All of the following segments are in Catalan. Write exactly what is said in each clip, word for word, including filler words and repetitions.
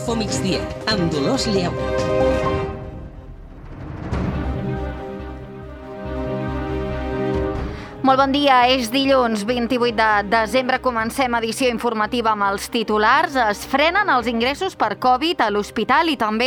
Info Migdia, amb Dolors Lleu. Molt bon dia, és dilluns vint-i-vuit de desembre, comencem edició informativa amb els titulars. Es frenen els ingressos per Covid a l'hospital i també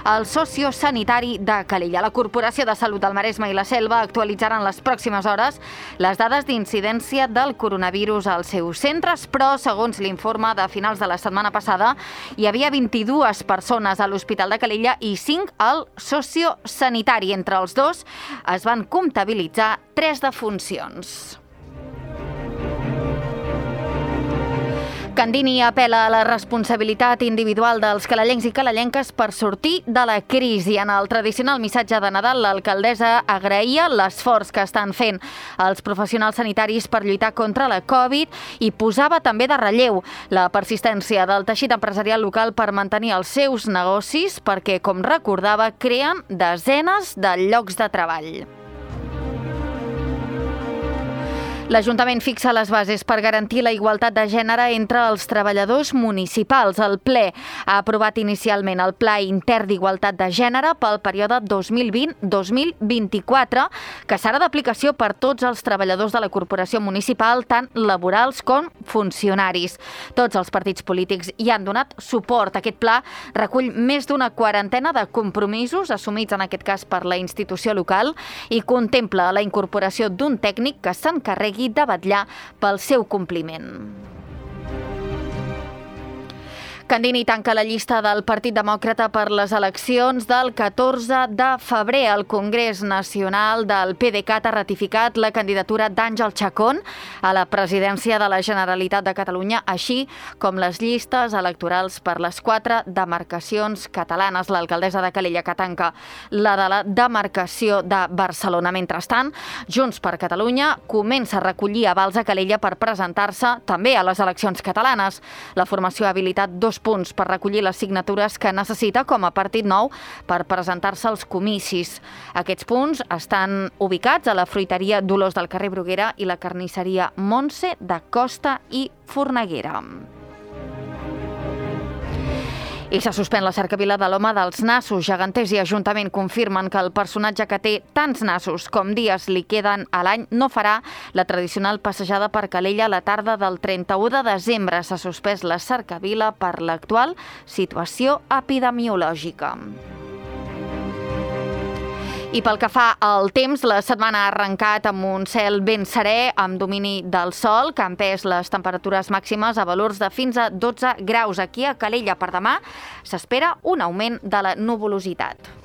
el sociosanitari de Calella. La Corporació de Salut del Maresme i la Selva actualitzaran les pròximes hores les dades d'incidència del coronavirus als seus centres, però segons l'informe de finals de la setmana passada hi havia vint-i-dues persones a l'Hospital de Calella i cinc al sociosanitari. Entre els dos es van comptabilitzar tres defuncions. Candini apel·la a la responsabilitat individual dels calellencs i calellenques per sortir de la crisi. En el tradicional missatge de Nadal, l'alcaldessa agraïa l'esforç que estan fent els professionals sanitaris per lluitar contra la Covid i posava també de relleu la persistència del teixit empresarial local per mantenir els seus negocis perquè, com recordava, creen desenes de llocs de treball. L'Ajuntament fixa les bases per garantir la igualtat de gènere entre els treballadors municipals. El ple ha aprovat inicialment el Pla Intern d'Igualtat de Gènere pel període dos mil vint a dos mil vint-i-quatre, que serà d'aplicació per tots els treballadors de la corporació municipal, tant laborals com funcionaris. Tots els partits polítics hi han donat suport. Aquest pla recull més d'una quarantena de compromisos assumits en aquest cas per la institució local i contempla la incorporació d'un tècnic que s'encarregui de vetllar pel seu compliment. Candini tanca la llista del Partit Demòcrata per les eleccions del catorze de febrer. El Congrés Nacional del P D C A T ha ratificat la candidatura d'Àngel Chacón a la presidència de la Generalitat de Catalunya, així com les llistes electorals per les quatre demarcacions catalanes. L'alcaldessa de Calella que tanca la de la demarcació de Barcelona. Mentrestant, Junts per Catalunya comença a recollir avals a Calella per presentar-se també a les eleccions catalanes. La formació ha habilitat dos punts per recollir les signatures que necessita com a partit nou per presentar-se als comicis. Aquests punts estan ubicats a la fruiteria Dolors del carrer Bruguera i la carnisseria Montse de Costa i Forneguera. I se suspèn la cercavila de l'home dels nassos. Geganters i Ajuntament confirmen que el personatge que té tants nassos com dies li queden a l'any no farà la tradicional passejada per Calella la tarda del trenta-u de desembre. S'ha suspès la cercavila per l'actual situació epidemiològica. I pel que fa al temps, la setmana ha arrencat amb un cel ben serè, amb domini del sol, que ha empès les temperatures màximes a valors de fins a dotze graus. Aquí a Calella per demà s'espera un augment de la nuvolositat.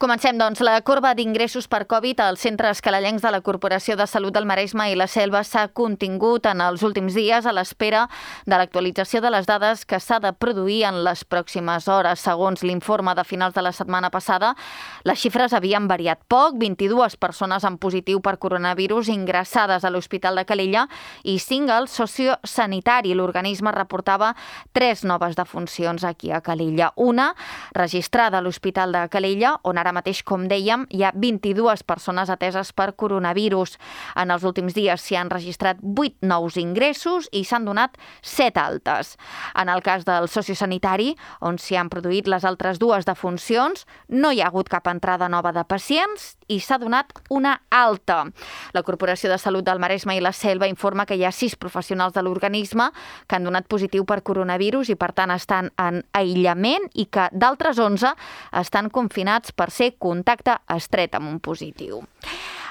Comencem, doncs. La corba d'ingressos per Covid als centres calellencs de la Corporació de Salut del Maresme i la Selva s'ha contingut en els últims dies a l'espera de l'actualització de les dades que s'ha de produir en les pròximes hores. Segons l'informe de finals de la setmana passada, les xifres havien variat poc. vint-i-dues persones amb positiu per coronavirus ingressades a l'Hospital de Calella i cinc al sociosanitari. L'organisme reportava tres noves defuncions aquí a Calella. Una registrada a l'Hospital de Calella, on ara mateix, com dèiem, hi ha vint-i-dues persones ateses per coronavirus. En els últims dies s'hi han registrat vuit nous ingressos i s'han donat set altes. En el cas del sociosanitari, on s'hi han produït les altres dues defuncions, no hi ha hagut cap entrada nova de pacients i s'ha donat una alta. La Corporació de Salut del Maresme i la Selva informa que hi ha sis professionals de l'organisme que han donat positiu per coronavirus i, per tant, estan en aïllament i que d'altres onze estan confinats per ser contacte estret amb un positiu.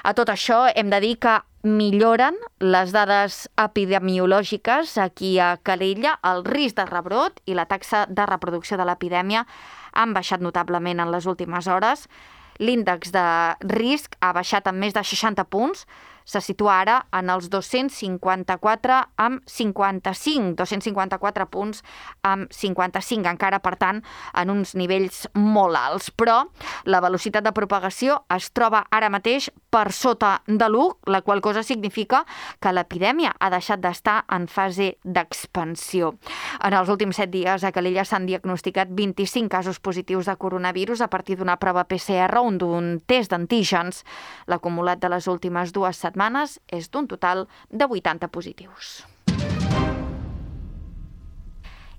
A tot això hem de dir que milloren les dades epidemiològiques aquí a Calella. El risc de rebrot i la taxa de reproducció de l'epidèmia han baixat notablement en les últimes hores. L'índex de risc ha baixat en més de seixanta punts. Se situa ara en els dos-cents cinquanta-quatre amb cinquanta-cinc, dos-cents cinquanta-quatre punts amb cinquanta-cinc, encara, per tant, en uns nivells molt alts. Però la velocitat de propagació es troba ara mateix per sota de l'u, la qual cosa significa que l'epidèmia ha deixat d'estar en fase d'expansió. En els últims set dies a Calella s'han diagnosticat vint-i-cinc casos positius de coronavirus a partir d'una prova P C R o d'un test d'antígens. L'acumulat de les últimes dues setmanes setmanes és d'un total de vuitanta positius.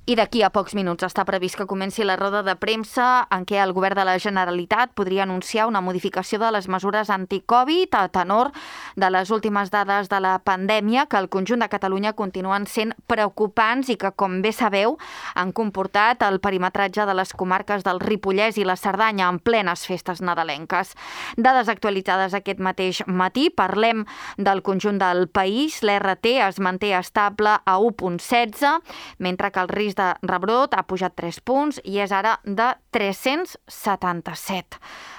I d'aquí a pocs minuts està previst que comenci la roda de premsa en què el govern de la Generalitat podria anunciar una modificació de les mesures anti-Covid a tenor de les últimes dades de la pandèmia que al conjunt de Catalunya continuen sent preocupants i que, com bé sabeu, han comportat el perimetratge de les comarques del Ripollès i la Cerdanya en plenes festes nadalenques. Dades actualitzades aquest mateix matí, parlem del conjunt del país. L'R T es manté estable a u coma setze, mentre que el risc de rebrot ha pujat tres punts i és ara de tres-cents setanta-set.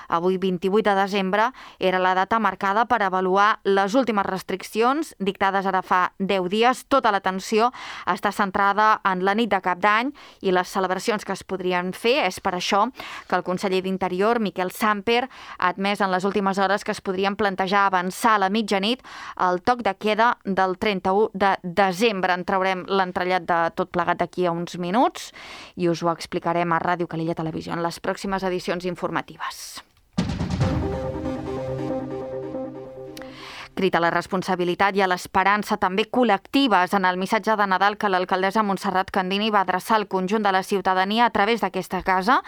Avui, vint-i-vuit de desembre, era la data marcada per avaluar les últimes restriccions dictades ara fa deu dies. Tota l'atenció està centrada en la nit de Cap d'Any i les celebracions que es podrien fer. És per això que el conseller d'Interior, Miquel Samper, ha admès en les últimes hores que es podrien plantejar avançar a la mitjanit el toc de queda del trenta-u de desembre. En traurem l'entrellat de tot plegat d'aquí a uns minuts i us ho explicarem a Ràdio Calella Televisió en les pròximes edicions informatives. Crit a la responsabilitat i a l'esperança també col·lectives en el missatge de Nadal que l'alcaldessa Montserrat Candini va adreçar al conjunt de la ciutadania a través d'aquesta casa,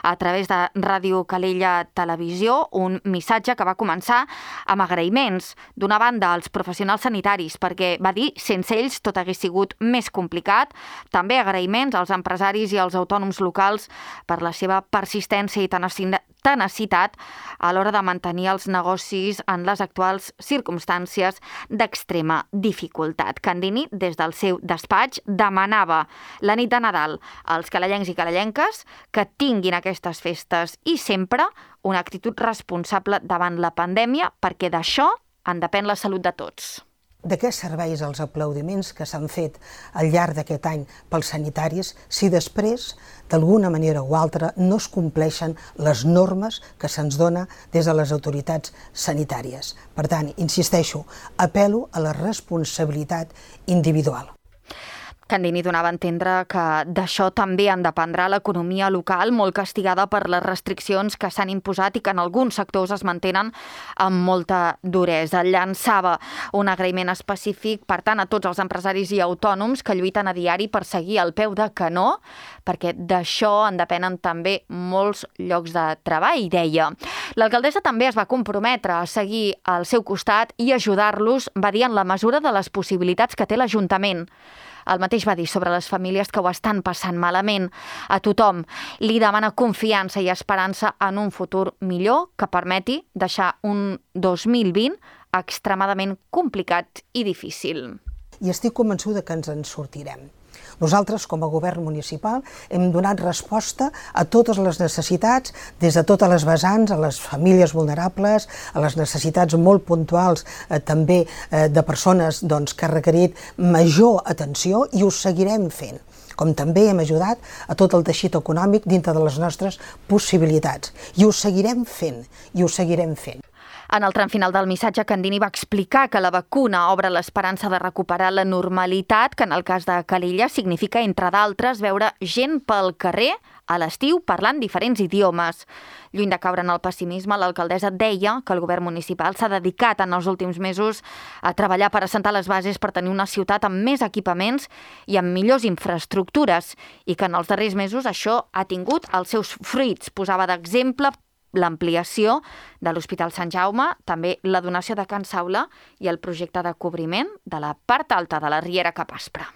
a través de Ràdio Calella Televisió, un missatge que va començar amb agraïments. D'una banda, als professionals sanitaris, perquè va dir sense ells tot hagués sigut més complicat. També agraïments als empresaris i als autònoms locals per la seva persistència i tenacitat a l'hora de mantenir els negocis en les actuals circumstàncies d'extrema dificultat. Candini, des del seu despatx, demanava la nit de Nadal als calellencs i calellenques que tinguin aquestes festes i sempre una actitud responsable davant la pandèmia, perquè d'això en depèn la salut de tots. De què serveix els aplaudiments que s'han fet al llarg d'aquest any pels sanitaris si després, d'alguna manera o altra, no es compleixen les normes que se'ns dona des de les autoritats sanitàries? Per tant, insisteixo, apel·lo a la responsabilitat individual. Candini donava a entendre que d'això també en dependrà l'economia local, molt castigada per les restriccions que s'han imposat i que en alguns sectors es mantenen amb molta duresa. Llançava un agraïment específic, per tant, a tots els empresaris i autònoms que lluiten a diari per seguir al peu de canó, perquè d'això en depenen també molts llocs de treball, deia. L'alcaldessa també es va comprometre a seguir al seu costat i ajudar-los, va dir, en la mesura de les possibilitats que té l'Ajuntament. El mateix va dir sobre les famílies que ho estan passant malament. A tothom li demana confiança i esperança en un futur millor que permeti deixar un dos mil vint extremadament complicat i difícil. I estic convençuda que ens en sortirem. Nosaltres, com a govern municipal, hem donat resposta a totes les necessitats, des de totes les vessants, a les famílies vulnerables, a les necessitats molt puntuals eh, també eh, de persones doncs, que han requerit major atenció, i ho seguirem fent. Com també hem ajudat a tot el teixit econòmic dintre de les nostres possibilitats. I ho seguirem fent, i ho seguirem fent. En el tram final del missatge, Candini va explicar que la vacuna obre l'esperança de recuperar la normalitat, que en el cas de Calella significa, entre d'altres, veure gent pel carrer a l'estiu parlant diferents idiomes. Lluny de caure en el pessimisme, l'alcaldessa deia que el govern municipal s'ha dedicat en els últims mesos a treballar per assentar les bases per tenir una ciutat amb més equipaments i amb millors infraestructures, i que en els darrers mesos això ha tingut els seus fruits. Posava d'exemple l'ampliació de l'Hospital Sant Jaume, també la donació de Can Saula i el projecte de cobriment de la part alta de la Riera Cap Aspre.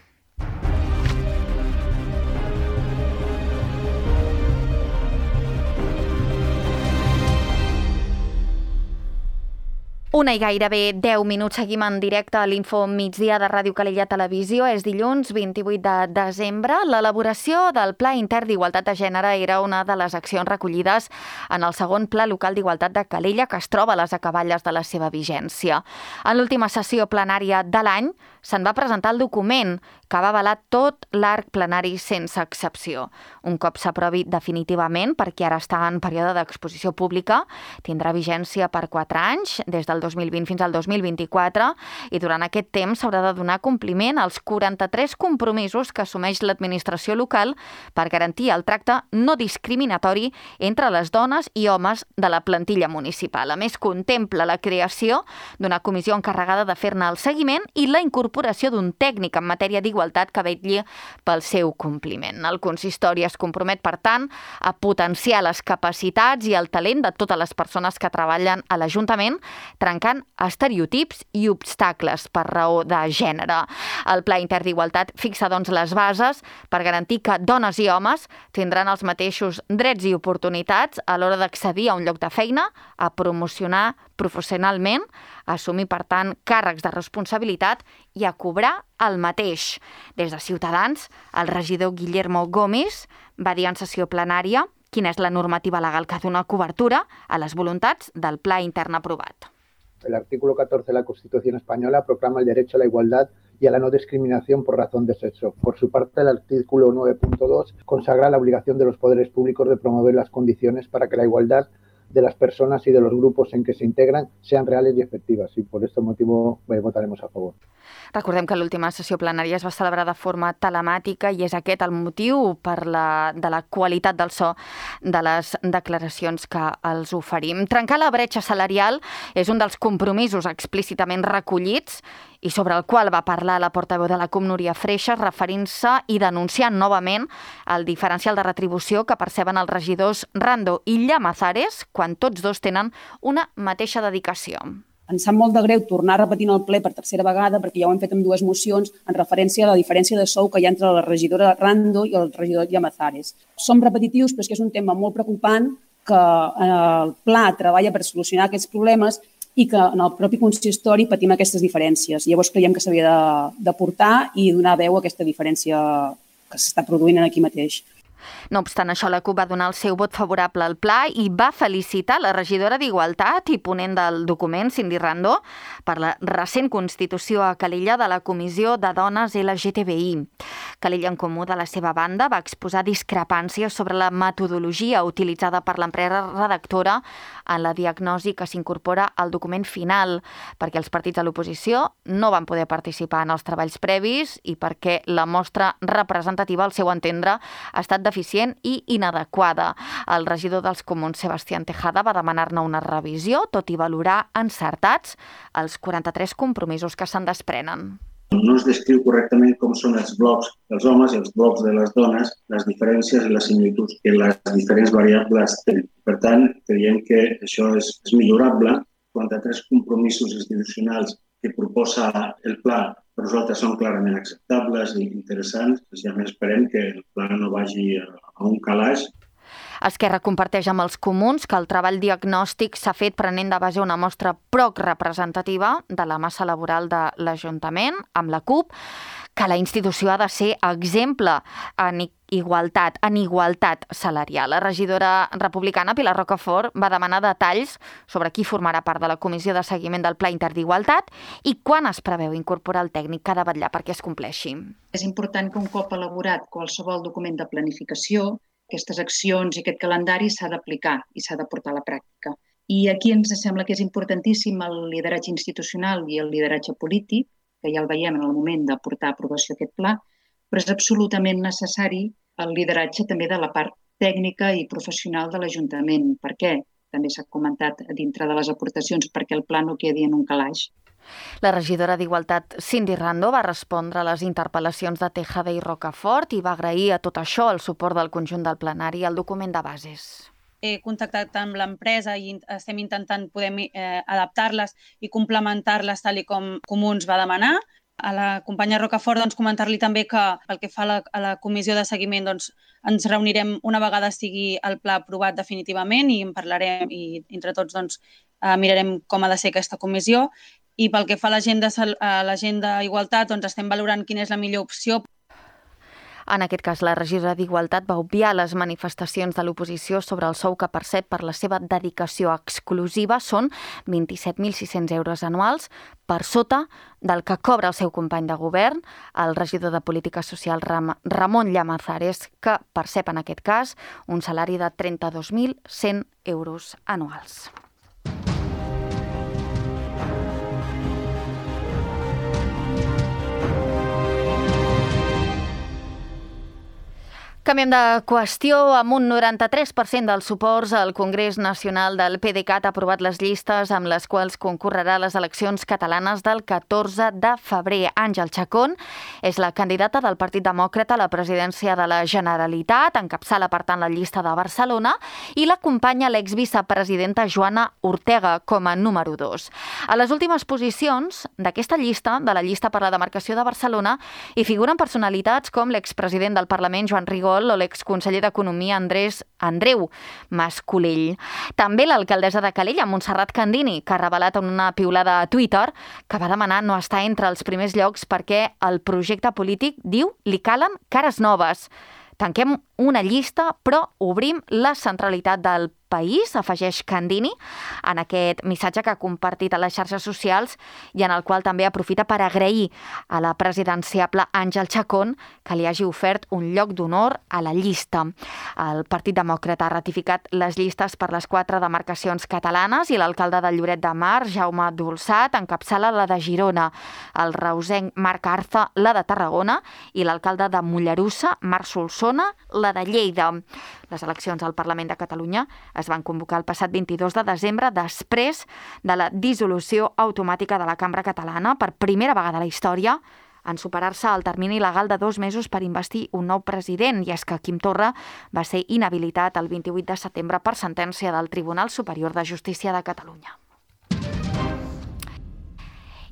Una i gairebé deu minuts, seguim en directe a l'Info Migdia de Ràdio Calella Televisió. És dilluns vint-i-vuit de desembre. L'elaboració del Pla Intern d'Igualtat de Gènere era una de les accions recollides en el segon Pla Local d'Igualtat de Calella, que es troba a les acaballes de la seva vigència. En l'última sessió plenària de l'any se'n va presentar el document que va avalar tot l'arc plenari sense excepció. Un cop s'aprovi definitivament, perquè ara està en període d'exposició pública, tindrà vigència per quatre anys, des del dos mil vint fins al dos mil vint-i-quatre, i durant aquest temps s'haurà de donar compliment als quaranta-tres compromisos que assumeix l'administració local per garantir el tracte no discriminatori entre les dones i homes de la plantilla municipal. A més, contempla la creació d'una comissió encarregada de fer-ne el seguiment i la incorporació d'un tècnic en matèria d'igualtat que vetlli pel seu compliment. El consistori es compromet, per tant, a potenciar les capacitats i el talent de totes les persones que treballen a l'Ajuntament, trencant estereotips i obstacles per raó de gènere. El Pla Intern d'Igualtat fixa, doncs, les bases per garantir que dones i homes tindran els mateixos drets i oportunitats a l'hora d'accedir a un lloc de feina, a promocionar professionalment, a assumir, per tant, càrrecs de responsabilitat i a cobrar el mateix. Des de Ciutadans, el regidor Guillermo Gómez va dir en sessió plenària quina és la normativa legal que dona cobertura a les voluntats del Pla Intern aprovat. El artículo catorce de la Constitución española proclama el derecho a la igualdad y a la no discriminación por razón de sexo. Por su parte, el artículo nueve punto dos consagra la obligación de los poderes públicos de promover las condiciones para que la igualdad de las personas y de los grupos en que se integran sean reales y efectivas, y por este motivo eh, votaremos a favor. Recordem que l'última sessió plenària es va celebrar de forma telemàtica i és aquest el motiu per la, de la qualitat del so de les declaracions que els oferim. Trencar la bretxa salarial és un dels compromisos explícitament recollits i sobre el qual va parlar la portaveu de la C U M, Núria Freixas, referint-se i denunciant novament el diferencial de retribució que perceben els regidors Rando i Llamazares quan tots dos tenen una mateixa dedicació. Ens sap molt de greu tornar repetint el ple per tercera vegada, perquè ja ho hem fet amb dues mocions en referència a la diferència de sou que hi ha entre la regidora Rando i el regidor Llamazares. Som repetitius, però és que és un tema molt preocupant que el Pla treballa per solucionar aquests problemes i que en el propi consistori patim aquestes diferències. Llavors creiem que s'havia de, de portar i donar veu a aquesta diferència que s'està produint aquí mateix. No obstant això, la C U P va donar el seu vot favorable al pla i va felicitar la regidora d'Igualtat i ponent del document, Cindy Rando, per la recent constitució a Calella de la Comissió de Dones L G T B I. Calella en Comú, de la seva banda, va exposar discrepàncies sobre la metodologia utilitzada per l'empresa redactora en la diagnosi que s'incorpora al document final, perquè els partits de l'oposició no van poder participar en els treballs previs i perquè la mostra representativa, al seu entendre, ha estat deficient i inadequada. El regidor dels Comuns, Sebastián Tejada, va demanar-ne una revisió, tot i valorar encertats els quaranta-tres compromisos que se'n desprenen. No es descriu correctament com són els blocs dels homes i els blocs de les dones, les diferències i les similituds que les diferents variables tenen. Per tant, creiem que això és, és millorable. quaranta-tres compromisos institucionals que proposa el pla per nosaltres són clarament acceptables i interessants. I a més esperem que el pla no vagi a un calaix. Esquerra comparteix amb els Comuns que el treball diagnòstic s'ha fet prenent de base una mostra poc representativa de la massa laboral de l'Ajuntament, amb la C U P, que la institució ha de ser exemple en igualtat, en igualtat salarial. La regidora republicana Pilar Rocafort va demanar detalls sobre qui formarà part de la comissió de seguiment del Pla Intern d'Igualtat i quan es preveu incorporar el tècnic que ha de vetllar perquè es compleixi. És important que un cop elaborat qualsevol document de planificació, aquestes accions i aquest calendari s'ha d'aplicar i s'ha de portar a la pràctica. I aquí ens sembla que és importantíssim el lideratge institucional i el lideratge polític, que ja el veiem en el moment de portar a aprovació aquest pla, però és absolutament necessari el lideratge també de la part tècnica i professional de l'Ajuntament. Per què? També s'ha comentat dintre de les aportacions, perquè el pla no quedi en un calaix. La regidora d'Igualtat, Cindy Rando, va respondre a les interpel·lacions de Tejada i Rocafort i va agrair a tot això el suport del conjunt del plenari al document de bases. He contactat amb l'empresa i estem intentant poder eh, adaptar-les i complementar-les tal i com Comuns va demanar. A la companya Rocafort doncs, comentar-li també que pel que fa a la, a la comissió de seguiment doncs, ens reunirem una vegada estigui el pla aprovat definitivament i en parlarem i entre tots doncs, eh, mirarem com ha de ser aquesta comissió. I pel que fa a l'agenda Igualtat, doncs estem valorant quina és la millor opció. En aquest cas, la regidora d'Igualtat va obviar les manifestacions de l'oposició sobre el sou que percep per la seva dedicació exclusiva. Són vint-i-set mil sis-cents euros anuals per sota del que cobra el seu company de govern, el regidor de Política Social Ram Ramon Llamazares, que percep en aquest cas un salari de trenta-dos mil cent euros anuals. Canviem de qüestió. Amb un noranta-tres per cent dels suports, el Congrés Nacional del PDeCAT ha aprovat les llistes amb les quals concorrerà a les eleccions catalanes del catorze de febrer. Àngel Chacón és la candidata del Partit Demòcrata a la presidència de la Generalitat, encapçala per tant la llista de Barcelona, i l'acompanya l'exvicepresidenta Joana Ortega com a número dos. A les últimes posicions d'aquesta llista, de la llista per la demarcació de Barcelona, hi figuren personalitats com l'expresident del Parlament, Joan Rigol, o l'exconseller d'Economia Andrés Andreu Mas-Colell. També l'alcaldessa de Calella, Montserrat Candini, que ha revelat en una piulada a Twitter que va demanar no estar entre els primers llocs perquè el projecte polític, diu, li calen cares noves. Tanquem una llista, però obrim la centralitat del país, afegeix Candini, en aquest missatge que ha compartit a les xarxes socials i en el qual també aprofita per agrair a la presidenciable Àngel Chacón que li hagi ofert un lloc d'honor a la llista. El Partit Demòcrata ha ratificat les llistes per les quatre demarcacions catalanes i l'alcalde de Lloret de Mar, Jaume Dolçat, encapçala la de Girona, el reusenc Marc Arza, la de Tarragona, i l'alcalde de Mollerussa, Marc Solsona, la de Lleida. Les eleccions al Parlament de Catalunya es van convocar el passat vint-i-dos de desembre després de la dissolució automàtica de la Cambra Catalana, per primera vegada a la història, en superar-se el termini legal de dos mesos per investir un nou president, i és que Quim Torra va ser inhabilitat el vint-i-vuit de setembre per sentència del Tribunal Superior de Justícia de Catalunya.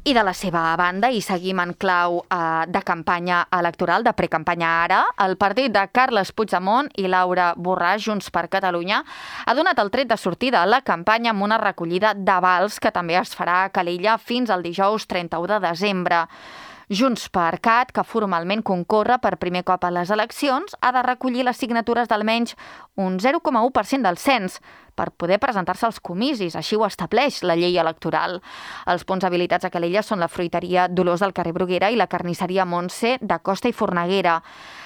I de la seva banda, i seguim en clau eh, de campanya electoral, de precampanya ara, el partit de Carles Puigdemont i Laura Borràs, Junts per Catalunya, ha donat el tret de sortida a la campanya amb una recollida d'avals que també es farà a Calella fins al dijous trenta-u de desembre. Junts per Cat, que formalment concorre per primer cop a les eleccions, ha de recollir les signatures d'almenys un zero coma u per cent del cens per poder presentar-se als comicis, així ho estableix la llei electoral. Els punts habilitats a Calella són la fruiteria Dolors del carrer Bruguera i la carnisseria Montse de Costa i Forneguera.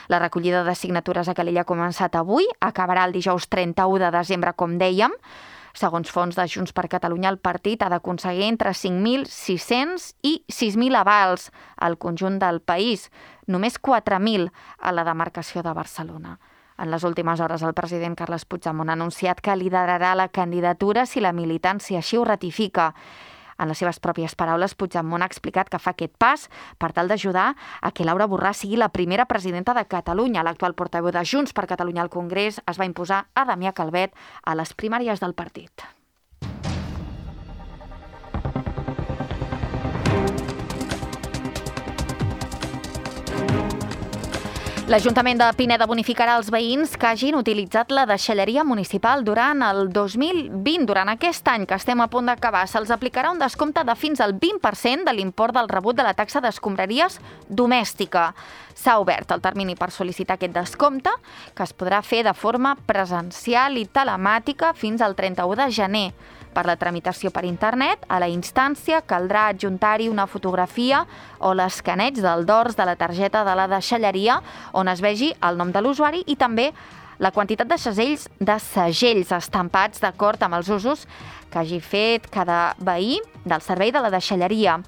La recollida de signatures a Calella ha començat avui, acabarà el dijous trenta-u de desembre, com dèiem. Segons fons de Junts per Catalunya, el partit ha d'aconseguir entre cinc mil sis-cents i sis mil avals al conjunt del país, només quatre mil a la demarcació de Barcelona. En les últimes hores, el president Carles Puigdemont ha anunciat que liderarà la candidatura si la militància així ho ratifica. En les seves pròpies paraules, Puigdemont ha explicat que fa aquest pas per tal d'ajudar a que Laura Borràs sigui la primera presidenta de Catalunya. L'actual portaveu de Junts per Catalunya al Congrés es va imposar a Damià Calvet a les primàries del partit. L'Ajuntament de Pineda bonificarà els veïns que hagin utilitzat la deixalleria municipal durant el dos mil vint. Durant aquest any que estem a punt d'acabar, se'ls aplicarà un descompte de fins al vint per cent de l'import del rebut de la taxa d'escombraries domèstica. S'ha obert el termini per sol·licitar aquest descompte, que es podrà fer de forma presencial i telemàtica fins al trenta-u de gener. Per la tramitació per internet, a la instància caldrà adjuntar-hi una fotografia o l'escaneig del dors de la targeta de la deixalleria on es vegi el nom de l'usuari i també la quantitat de segells, de segells estampats d'acord amb els usos que hagi fet cada veí del servei de la deixalleria.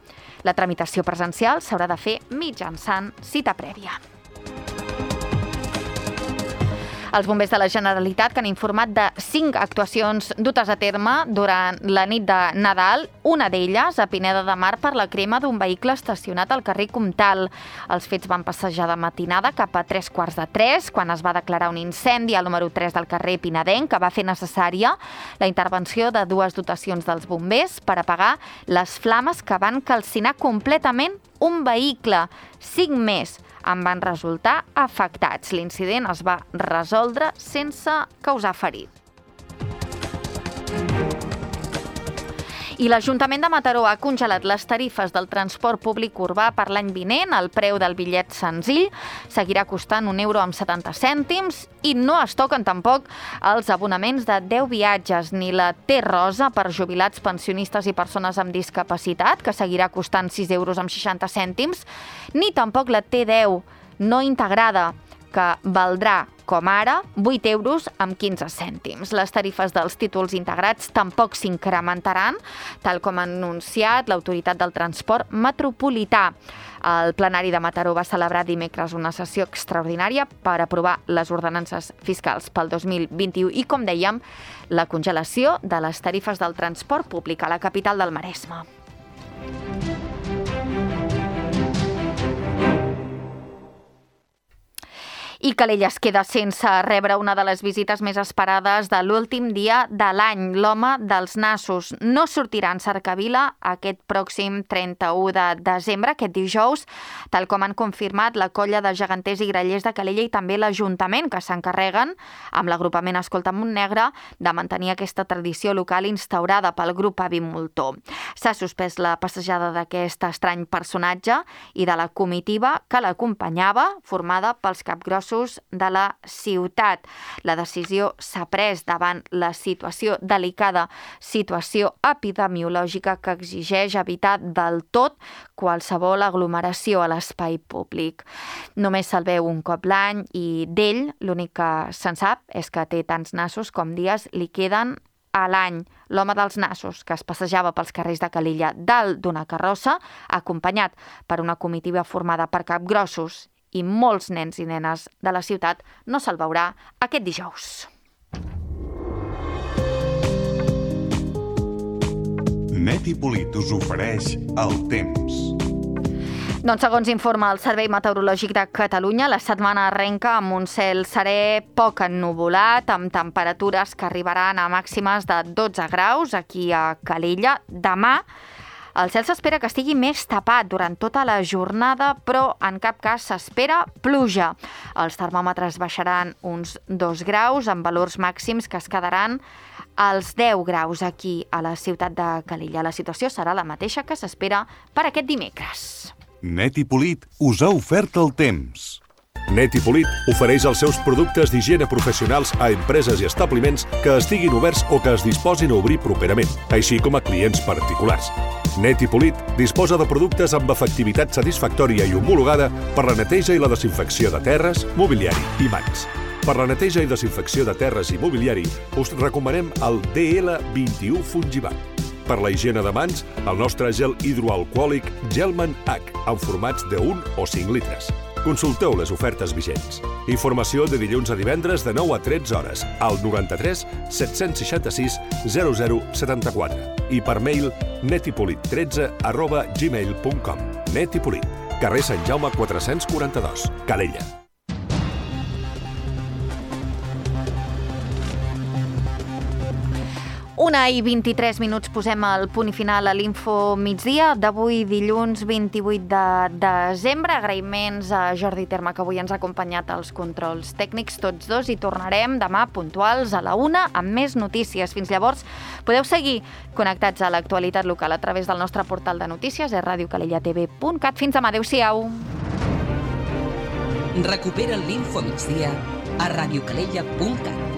La tramitació presencial s'haurà de fer mitjançant cita prèvia. Els bombers de la Generalitat, que han informat de cinc actuacions dutes a terme durant la nit de Nadal, una d'elles a Pineda de Mar per la crema d'un vehicle estacionat al carrer Comtal. Els fets van passejar de matinada cap a tres quarts de tres, quan es va declarar un incendi al número tres del carrer Pinedenc, que va fer necessària la intervenció de dues dotacions dels bombers per apagar les flames que van calcinar completament un vehicle. Cinc més en van resultar afectats. L'incident es va resoldre sense causar ferit. I l'Ajuntament de Mataró ha congelat les tarifes del transport públic urbà per l'any vinent. El preu del bitllet senzill seguirà costant un euro amb setanta cèntims i no es toquen tampoc els abonaments de deu viatges ni la T-Rosa per jubilats, pensionistes i persones amb discapacitat, que seguirà costant sis euros amb seixanta cèntims, ni tampoc la T deu no integrada, que que valdrà, com ara, vuit euros amb quinze cèntims. Les tarifes dels títols integrats tampoc s'incrementaran, tal com ha anunciat l'Autoritat del Transport Metropolità. El plenari de Mataró va celebrar dimecres una sessió extraordinària per aprovar les ordenances fiscals pel dos mil vint-i-u i, com dèiem, la congelació de les tarifes del transport públic a la capital del Maresme. I Calella es queda sense rebre una de les visites més esperades de l'últim dia de l'any. L'home dels nassos no sortirà en cercavila aquest pròxim trenta-u de desembre, aquest dijous, tal com han confirmat la colla de geganters i grallers de Calella i també l'Ajuntament, que s'encarreguen, amb l'agrupament Escolta Montnegre, de mantenir aquesta tradició local instaurada pel grup Avi Moltó. S'ha suspès la passejada d'aquest estrany personatge i de la comitiva que l'acompanyava, formada pels capgrossos de la ciutat. La decisió s'ha pres davant la situació delicada, situació epidemiològica que exigeix evitar del tot qualsevol aglomeració a l'espai públic. Només se'l veu un cop l'any i d'ell l'únic que se'n sap és que té tants nassos com dies li queden a l'any. L'home dels nassos, que es passejava pels carrers de Calella dalt d'una carrossa, acompanyat per una comitiva formada per capgrossos i molts nens i nenes de la ciutat, no se'l veurà aquest dijous. Net i Polit us ofereix el temps. Doncs segons informa el Servei Meteorològic de Catalunya, la setmana arrenca amb un cel serè poc ennuvolat, amb temperatures que arribaran a màximes de dotze graus aquí a Calella. Demà el cel s'espera que estigui més tapat durant tota la jornada, però en cap cas s'espera pluja. Els termòmetres baixaran uns dos graus, amb valors màxims que es quedaran als deu graus aquí a la ciutat de Calella. La situació serà la mateixa que s'espera per aquest dimecres. Net i Polit us ha ofert el temps. Net i Polit ofereix els seus productes d'higiene professionals a empreses i establiments que estiguin oberts o que es disposin a obrir properament, així com a clients particulars. Net i Polit disposa de productes amb efectivitat satisfactòria i homologada per la neteja i la desinfecció de terres, mobiliari i mans. Per la neteja i desinfecció de terres i mobiliari us recomanem el D L vint-i-u Fungivac. Per la higiene de mans, el nostre gel hidroalcohòlic Gelman H, en formats de un o cinc litres. Consulteu les ofertes vigents. Informació de dilluns a divendres de nou a tretze hores al noranta-tres set-cents seixanta-sis zero zero setanta-quatre i per mail netipolit tretze arroba gmail punt com. Net i Polit, carrer Sant Jaume quatre-cents quaranta-dos, Calella. Una i vint-i-tres minuts posem el punt i final a l'Info Migdia d'avui dilluns vint-i-vuit de desembre. Agraïments a Jordi Terma, que avui ens ha acompanyat als controls tècnics tots dos, i tornarem demà puntuals a la una amb més notícies. Fins llavors podeu seguir connectats a l'actualitat local a través del nostre portal de notícies a radio calella t v punt cat. Fins demà, adeu-siau. Recupera l'Info Migdia a radio calella punt cat.